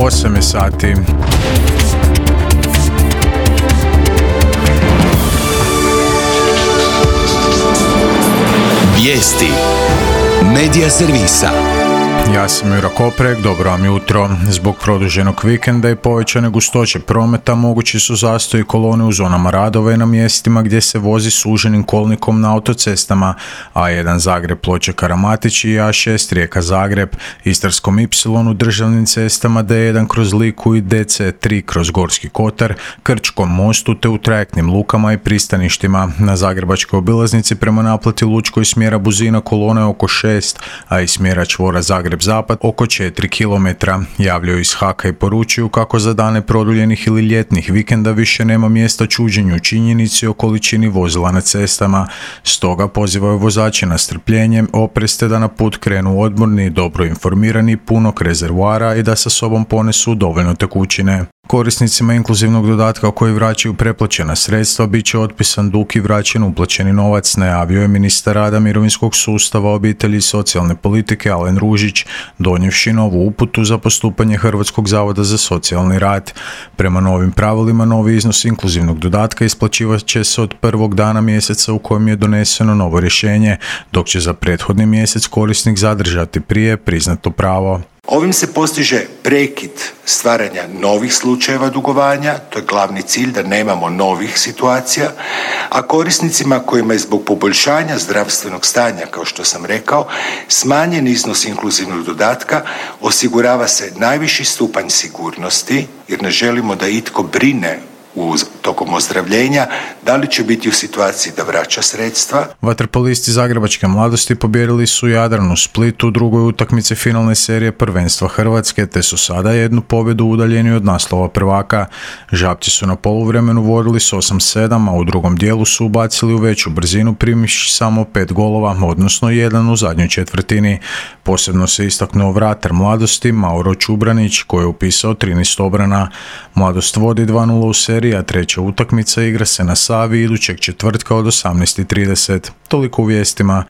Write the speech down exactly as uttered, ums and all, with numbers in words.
osam je sati. Vijesti Medija servisa. Ja sam Jura Koprek, dobro vam jutro. Zbog produženog vikenda i povećane gustoće prometa mogući su zastoji kolone u zonama radova i na mjestima gdje se vozi suženim kolnikom na autocestama A jedan Zagreb Ploče Karamatić i A šest Rijeka Zagreb, Istarskom Y u državnim cestama D jedan kroz Liku i D C tri kroz Gorski Kotar, Krčkom mostu te u trajektnim lukama i pristaništima. Na zagrebačkoj obilaznici prema naplati Lučkoj smjera Buzina kolone oko šest, a iz smjera čvora Zagreb Zapad oko četiri kilometra. Javljaju iz Haka i poručuju kako za dane produljenih ili ljetnih vikenda više nema mjesta čuđenju činjenici o količini vozila na cestama. Stoga pozivaju vozače na strpljenje, oprez te da na put krenu odmorni, dobro informirani, punog rezervoara i da sa sobom ponesu dovoljno tekućine. Korisnicima inkluzivnog dodatka koji vraćaju preplaćena sredstva bit će otpisan dug i vraćen uplaćeni novac, najavio je ministar rada, mirovinskog sustava, obitelji i socijalne politike Alen Ružić, donijevši novu uputu za postupanje Hrvatskog zavoda za socijalni rad. Prema novim pravilima, novi iznos inkluzivnog dodatka isplaćivat će se od prvog dana mjeseca u kojem je doneseno novo rješenje, dok će za prethodni mjesec korisnik zadržati prije priznato pravo. Ovim se postiže prekid stvaranja novih slučajeva dugovanja, to je glavni cilj da nemamo novih situacija, a korisnicima kojima je zbog poboljšanja zdravstvenog stanja, kao što sam rekao, smanjen iznos inkluzivnog dodatka, osigurava se najviši stupanj sigurnosti, jer ne želimo da itko brine u tokom ozdravljenja, da li će biti u situaciji da vraća sredstva. Vaterpolisti Zagrebačke mladosti pobijedili su Jadran u Splitu u drugoj utakmici finalne serije prvenstva Hrvatske, te su sada jednu pobjedu udaljeni od naslova prvaka. Žabci su na poluvremenu vodili s osam sedam, a u drugom dijelu su ubacili u veću brzinu primivši samo pet golova, odnosno jedan u zadnjoj četvrtini. Posebno se istaknuo vratar mladosti Mauro Čubranić, koji je upisao trinaest obrana. Mladost vodi dva nula u seriji, a treća utakmica igra se na Savi idućeg četvrtka od osamnaest i trideset. Toliko u vijestima.